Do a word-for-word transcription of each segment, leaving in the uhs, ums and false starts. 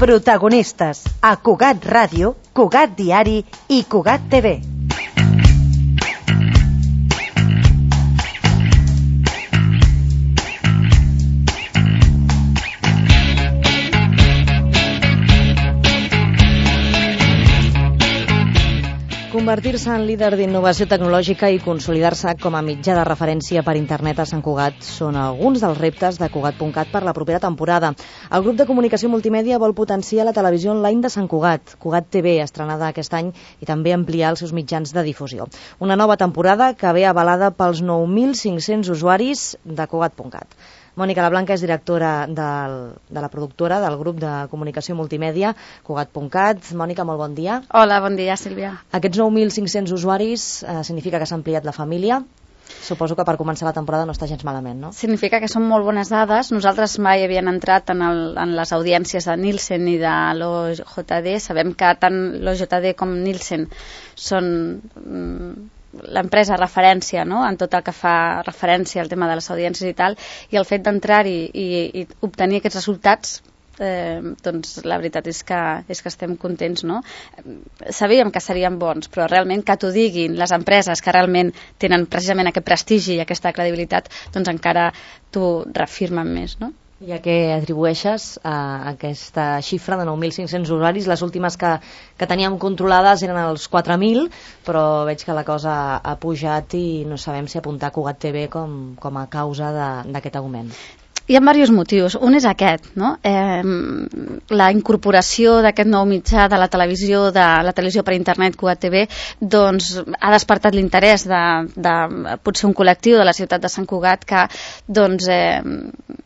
Protagonistes a Cugat Ràdio, Cugat Diari i Cugat T V. Convertir-se en líder d'innovació tecnològica i consolidar-se com a mitjà de referència per internet a Sant Cugat són alguns dels reptes de Cugat punt cat per la propera temporada. El grup de comunicació multimèdia vol potenciar la televisió online de Sant Cugat, Cugat T V, estrenada aquest any, i també ampliar els seus mitjans de difusió. Una nova temporada que ve avalada pels nou mil cinc-cents usuaris de Cugat punt cat. Mònica Lablanca és directora del, de la productora del grup de comunicació multimèdia Cugat punt cat. Mònica, molt bon dia. Hola, bon dia, Sílvia. Aquests nou mil cinc-cents usuaris eh, significa que s'ha ampliat la família. Suposo que per començar la temporada no està gens malament, no? Significa que són molt bones dades. Nosaltres mai havíem entrat en, el, en les audiències de Nielsen i de l'O J D. Sabem que tant l'O J D com Nielsen són mm, l'empresa referència, no?, en tot el que fa referència al tema de les audiències i tal, i el fet d'entrar-hi i, i obtenir aquests resultats, eh, doncs la veritat és que, és que estem contents, no? Sabíem que serien bons, però realment que t'ho diguin les empreses que realment tenen precisament aquest prestigi i aquesta credibilitat, doncs encara t'ho reafirmen més, no? I a què atribueixes a aquesta xifra de nou mil cinc-cents usuaris? Les últimes que, que teníem controlades eren els quatre mil, però veig que la cosa ha pujat i no sabem si apuntar Cugat T V com, com a causa d'aquest augment. Hi ha diversos motius. Un és aquest, no? Eh, la incorporació d'aquest nou mitjà de la televisió, de la televisió per internet Cugat T V, doncs ha despertat l'interès de, de potser un col·lectiu de la ciutat de Sant Cugat que doncs, eh,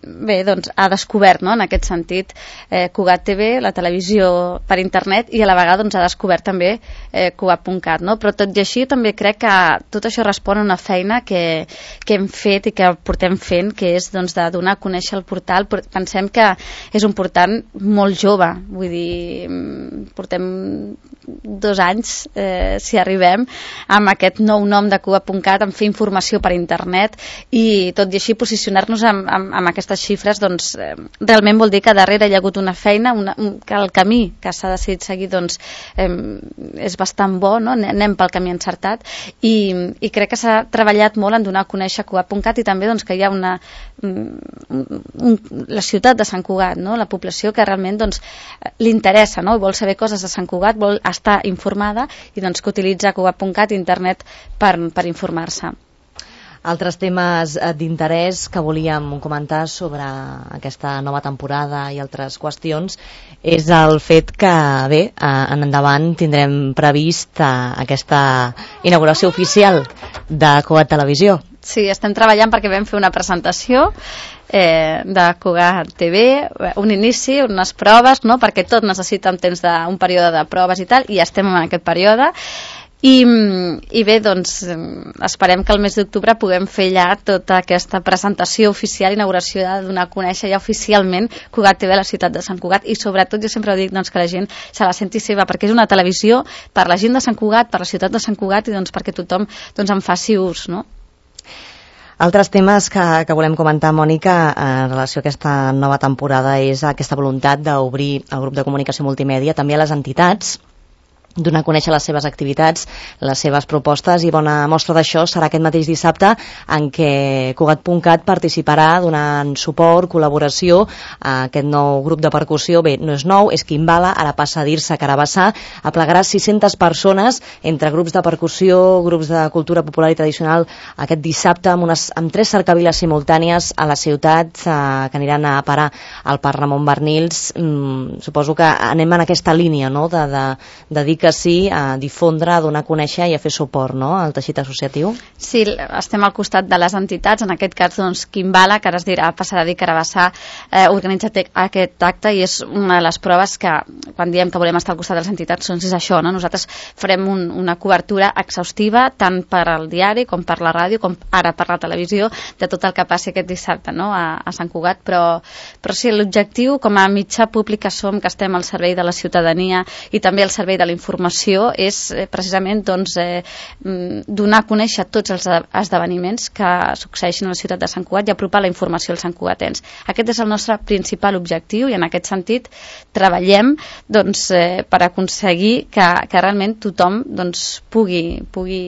bé, doncs ha descobert, no?, en aquest sentit eh, Cugat T V, la televisió per internet, i a la vegada doncs, ha descobert també eh, Cugat punt cat, no? Però tot i així també crec que tot això respon a una feina que, que hem fet i que portem fent, que és doncs, de donar conèixer el portal. Pensem que és un portal molt jove, vull dir, portem dos anys, eh, si arribem, amb aquest nou nom de Cugat punt cat, en fer informació per internet, i tot i així posicionar-nos amb, amb, amb aquestes xifres, doncs eh, realment vol dir que darrere hi ha hagut una feina, una, un, que el camí que s'ha decidit seguir doncs eh, és bastant bo, no? Anem pel camí encertat, i, i crec que s'ha treballat molt en donar a conèixer Cugat punt cat, i també doncs, que hi ha una Un, la ciutat de Sant Cugat, no? La població que realment doncs, li interessa, no? Vol saber coses de Sant Cugat, vol estar informada, i doncs que utilitza Cugat punt cat, internet, per, per informar-se. Altres temes d'interès que volíem comentar sobre aquesta nova temporada i altres qüestions és el fet que, bé, en endavant tindrem previst aquesta inauguració oficial de Cugat Televisió. Sí, estem treballant perquè vam fer una presentació eh, de Cugat T V, un inici, unes proves, no?, perquè tot necessita un temps de, un període de proves i tal, i estem en aquest període. I, i bé, doncs esperem que el mes d'octubre puguem fer ja tota aquesta presentació oficial, inauguració, de donar a conèixer ja oficialment Cugat T V a la ciutat de Sant Cugat, i sobretot jo sempre dic doncs, que la gent se la senti seva, perquè és una televisió per la gent de Sant Cugat, per la ciutat de Sant Cugat, i doncs perquè tothom doncs, en faci ús, no? Altres temes que, que volem comentar, Mònica, en relació a aquesta nova temporada és aquesta voluntat d'obrir el grup de comunicació multimèdia també a les entitats, donar a conèixer les seves activitats, les seves propostes, i bona mostra d'això serà aquest mateix dissabte en què Cugat punt cat participarà donant suport, col·laboració a aquest nou grup de percussió. Bé, no és nou, és Quimbala, ara passa a dir-se Carabassà, aplegarà sis-centes persones entre grups de percussió, grups de cultura popular i tradicional aquest dissabte amb, unes, amb tres cercaviles simultànies a la ciutat eh, que aniran a parar al Parc Ramon Barnils. Mm, suposo que anem en aquesta línia, no?, de, de, de dir que sí, a difondre, a donar a conèixer i a fer suport, no?, al teixit associatiu. Sí, estem al costat de les entitats, en aquest cas doncs Quimbala, que ara es dirà, passarà a dir Carabassà, eh, organitza aquest acte, i és una de les proves que quan diem que volem estar al costat de les entitats doncs és això, no? Nosaltres farem un, una cobertura exhaustiva tant per al diari com per la ràdio, com ara per la televisió, de tot el que passi aquest dissabte, no?, a, a Sant Cugat, però, però sí, l'objectiu com a mitjà públic que som, que estem al servei de la ciutadania i també al servei de la informació informació és eh, precisament doncs, eh, donar a conèixer tots els esdeveniments que succeeixen a la ciutat de Sant Cugat i apropar la informació als santcugatens. Aquest és el nostre principal objectiu i en aquest sentit treballem doncs, eh, per aconseguir que, que realment tothom doncs, pugui, pugui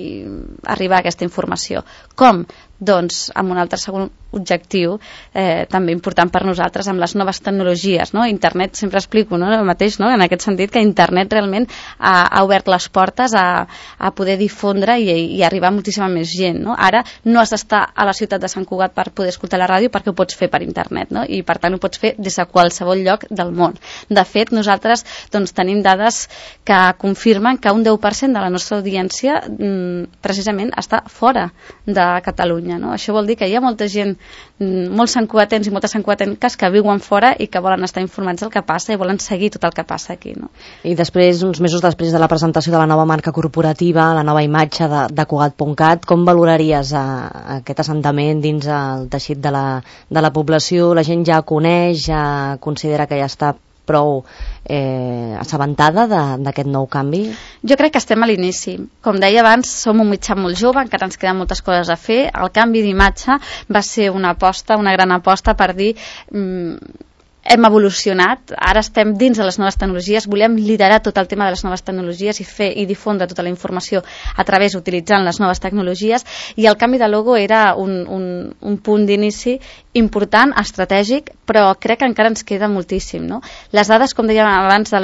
arribar a aquesta informació. Com? Doncs amb un altre segon objectiu eh, també important per nosaltres, amb les noves tecnologies, no? Internet, sempre explico, no? El mateix, no? En aquest sentit que internet realment ha, ha obert les portes a, a poder difondre i, i arribar a moltíssima més gent, no? Ara no has d'estar a la ciutat de Sant Cugat per poder escoltar la ràdio perquè ho pots fer per internet, no? I per tant ho pots fer des de qualsevol lloc del món. De fet, nosaltres doncs, tenim dades que confirmen que un deu per cent de la nostra audiència mm, precisament està fora de Catalunya, no? Això vol dir que hi ha molta gent, molts santcugatens i moltes santcugatenques que viuen fora i que volen estar informats del que passa i volen seguir tot el que passa aquí, no? I després, uns mesos després de la presentació de la nova marca corporativa, la nova imatge de, de Cugat punt cat, com valoraries a, a aquest assentament dins el teixit de la, de la població? La gent ja coneix, ja considera que ja està prou eh, assabentada d'aquest nou canvi? Jo crec que estem a l'inici. Com deia abans, som un mitjà molt jove, encara ens queden moltes coses a fer. El canvi d'imatge va ser una aposta, una gran aposta per dir... Mm, hem evolucionat, ara estem dins de les noves tecnologies, volem liderar tot el tema de les noves tecnologies i fer i difondre tota la informació a través utilitzant les noves tecnologies, i el canvi de logo era un, un, un punt d'inici important, estratègic, però crec que encara ens queda moltíssim, no? Les dades, com dèiem abans, de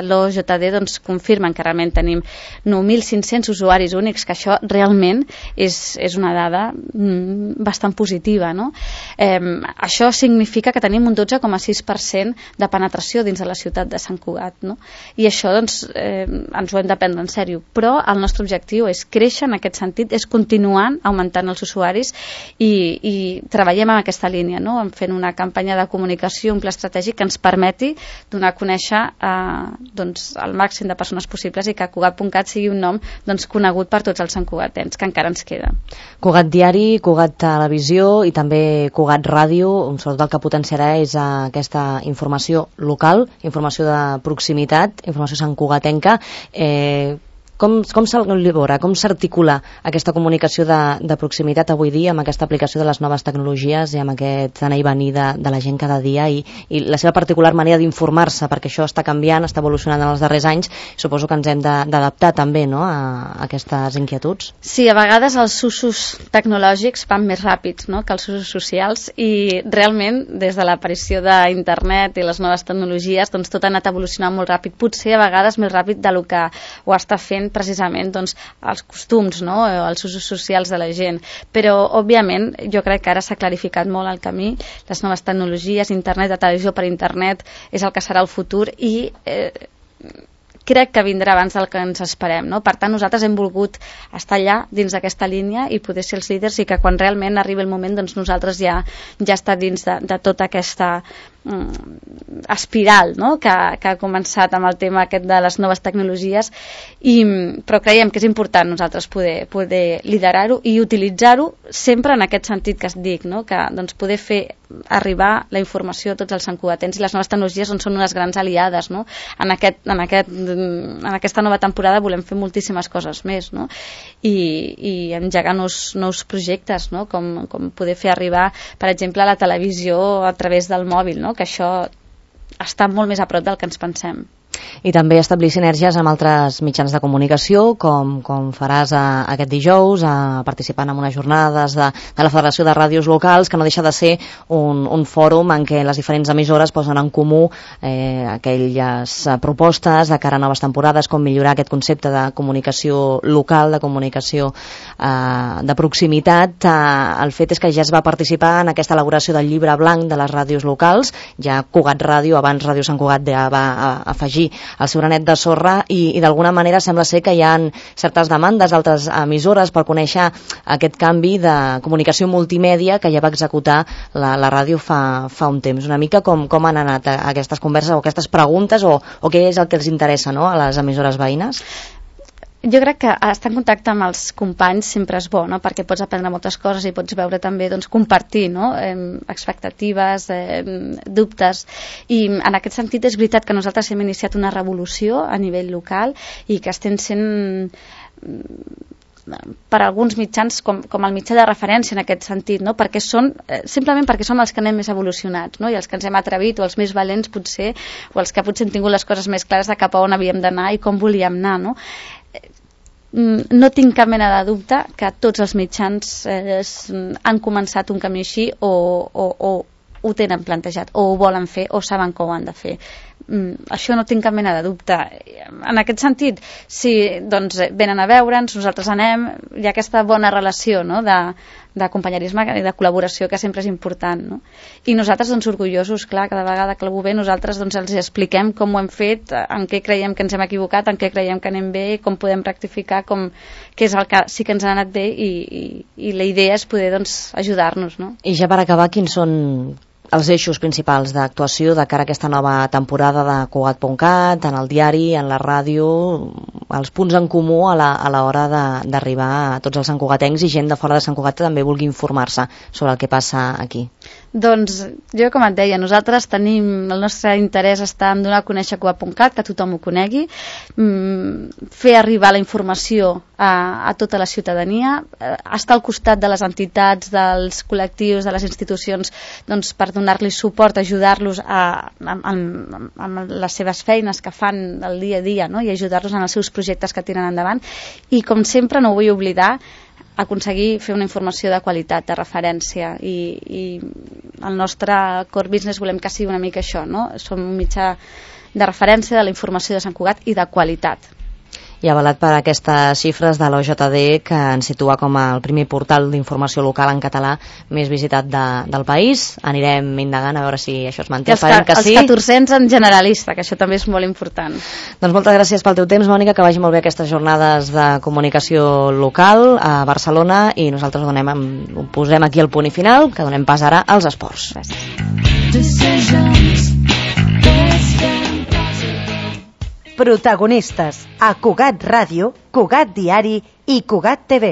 l'O J D doncs, confirmen que realment tenim nou mil cinc-cents usuaris únics, que això realment és, és una dada mm, bastant positiva, no? Eh, això significa que tenim un dotze coma sis per cent de penetració dins de la ciutat de Sant Cugat, no? I això doncs, eh, ens ho hem de prendre en sèrio, però el nostre objectiu és créixer en aquest sentit, és continuar augmentant els usuaris i, i treballem en aquesta línia, no? Fent una campanya de comunicació, un pla estratègic que ens permeti donar a conèixer eh, doncs, el màxim de persones possibles i que Cugat punt cat sigui un nom doncs, conegut per tots els santcugatens, que encara ens queda. Cugat Diari, Cugat Televisió i també Cugat Ràdio, sobretot el que potenciarà és aquesta informació local, informació de proximitat, informació santcugatenca. Eh, com, com s'elabora, com s'articula aquesta comunicació de, de proximitat avui dia amb aquesta aplicació de les noves tecnologies i amb aquest anar i venir de, de la gent cada dia i, i la seva particular manera d'informar-se, perquè això està canviant, està evolucionant en els darrers anys, suposo que ens hem d'adaptar també, no?, a, a aquestes inquietuds. Sí, a vegades els usos tecnològics van més ràpids, no?, que els usos socials, i realment des de l'aparició d'internet i les noves tecnologies doncs tot ha anat evolucionant molt ràpid, potser a vegades més ràpid del que ho està fent precisament doncs, els costums, no?, els usos socials de la gent, però òbviament jo crec que ara s'ha clarificat molt el camí, les noves tecnologies, internet, de televisió per internet és el que serà el futur i eh, crec que vindrà abans del que ens esperem, no? Per tant, nosaltres hem volgut estar allà dins d'aquesta línia i poder ser els líders i que quan realment arribi el moment doncs nosaltres ja, ja està dins de, de tota aquesta mm, espiral, no?, que, que ha començat amb el tema aquest de les noves tecnologies, i, però creiem que és important nosaltres poder, poder liderar-ho i utilitzar-ho sempre en aquest sentit que es dic, no?, que doncs, poder fer arribar la informació a tots els santcugatens, i les noves tecnologies on són unes grans aliades, no? En, aquest, en, aquest, en aquesta nova temporada volem fer moltíssimes coses més, no? I, i engegar nous, nous projectes, no?, com, com poder fer arribar, per exemple, a la televisió a través del mòbil, no?, que això està molt més a prop del que ens pensem. I també establir sinergies amb altres mitjans de comunicació, com, com faràs a, aquest dijous, a, participant en unes jornades de, de la Federació de Ràdios Locals, que no deixa de ser un, un fòrum en què les diferents emissores posen en comú eh, aquelles propostes de cara a noves temporades, com millorar aquest concepte de comunicació local, de comunicació eh, de proximitat. Eh, el fet és que ja es va participar en aquesta elaboració del llibre blanc de les ràdios locals, ja Cugat Ràdio, abans Ràdio Sant Cugat, ja va afegir el seu granet de sorra, i, i d'alguna manera sembla ser que hi ha certes demandes d'altres emissores per conèixer aquest canvi de comunicació multimèdia que ja va executar la, la ràdio fa, fa un temps. Una mica com, com han anat aquestes converses o aquestes preguntes, o, o què és el que els interessa, no?, a les emissores veïnes? Jo crec que estar en contacte amb els companys sempre és bo, no? Perquè pots aprendre moltes coses i pots veure també, doncs, compartir, no? eh, expectatives, eh, dubtes, i en aquest sentit és veritat que nosaltres hem iniciat una revolució a nivell local i que estem sent per alguns mitjans com, com el mitjà de referència en aquest sentit, no? Perquè són, eh, simplement perquè som els que anem més evolucionats, no? I els que ens hem atrevit, o els més valents potser, o els que potser hem tingut les coses més clares de cap a on havíem d'anar i com volíem anar, no? No tinc cap mena de dubte que tots els mitjans eh, han començat un camí així o, o, o ho tenen plantejat, o ho volen fer, o saben que ho han de fer. Mm, això no tinc cap mena de dubte. En aquest sentit, si doncs, venen a veure'ns, nosaltres anem, hi ha aquesta bona relació, no? de, de companyerisme i de col·laboració que sempre és important, no? I nosaltres, doncs, orgullosos, clar, cada vegada que algú ve, nosaltres doncs, els expliquem com ho hem fet, en què creiem que ens hem equivocat, en què creiem que anem bé, com podem rectificar, com, què és el que sí que ens ha anat bé, i, i, i la idea és poder, doncs, ajudar-nos, no? I ja per acabar, quins són els eixos principals d'actuació de cara a aquesta nova temporada de Cugat punt cat, en el diari, en la ràdio, els punts en comú a l'hora d'arribar a tots els santcugatencs i gent de fora de Sant Cugat que també vulgui informar-se sobre el que passa aquí? Doncs jo, com et deia, nosaltres tenim, el nostre interès està en donar a conèixer Cugat punt cat, que tothom ho conegui, fer arribar la informació a, a tota la ciutadania, estar al costat de les entitats, dels col·lectius, de les institucions, doncs, per donar-li suport, ajudar-los amb les seves feines que fan el dia a dia, no? I ajudar-los en els seus projectes que tiren endavant. I, com sempre, no ho vull oblidar, aconseguir fer una informació de qualitat, de referència, i, i el nostre core business volem que sigui una mica això, no? Som un mitjà de referència de la informació de Sant Cugat i de qualitat. I avalat per aquestes xifres de l'O J D, que ens situa com el primer portal d'informació local en català més visitat de, del país. Anirem indagant a veure si això es manté. I els, que, els catorzens en generalista, que això també és molt important. Doncs moltes gràcies pel teu temps, Mònica, que vagi molt bé aquestes jornades de comunicació local a Barcelona, i nosaltres donem, posem aquí el punt i final, que donem pas ara als esports. Gràcies. Protagonistes a Cugat Ràdio, Cugat Diari i Cugat T V.